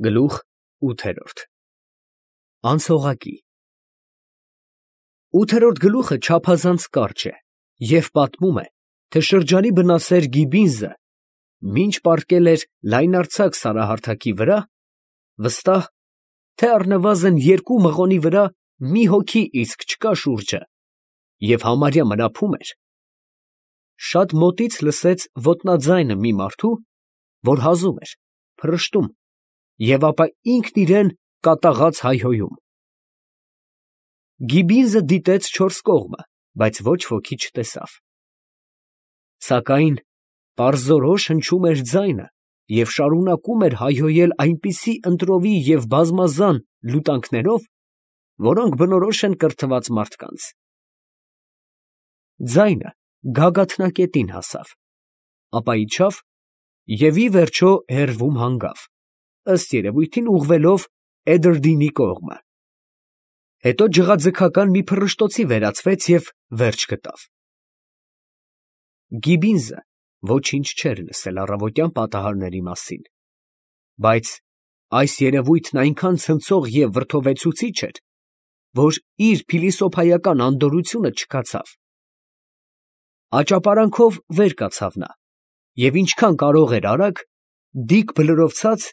Գլուխ ութերորդ Անցողակի 8-րդ գլուխը չափազանց կարճ է և պատմում է, թե շրջանի բնասեր Գիբինզը մինչ պառկել էր լայնարձակ սարահարթակի վրա, վստահ, թե առնվազն 2 մղոնի վրա մի հոգի իսկ չկա շուրջը և համարյա մնափում էր, շատ մոտից լսեց ոտնաձայնը մի մարդու, որ հազում էր, փռշտում և ապա ինքն իրան կատաղած հայհոյում. Գիբինզը դիտեց 4 կողմը, բայց ոչ ոքի չտեսավ, սակայն պարզորոշ հնչում էր ձայնը և շարունակում էր հայհոյել այնպիսի ընտրովի և բազմազան լուտանքներով, որոնք բնորոշ են կրթված մարդկանց. ձայնը գագաթնակետին հասավ, ապա իջավ և ի վերջո հեռվում հանգավ, ըստ երևույթին ուղղվելով Էդրդինի կողմը, հետո ջղաձգական մի փռշտոցի վերածվեց և վերջ գտավ։ Գիբինզը ոչինչ չէր լսել առավոտյան պատահարների մասին, բայց այս երևույթն այնքան ցնցող և վրդովեցուցիչ էր, որ իր փիլիսոփայական անդորրությունը չքացավ։ Աճապարանքով վեր կացավ նա և ինչքան կարող էր արագ, դիք բլրովցած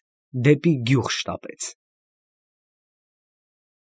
դեպի գյուղ շտապեց։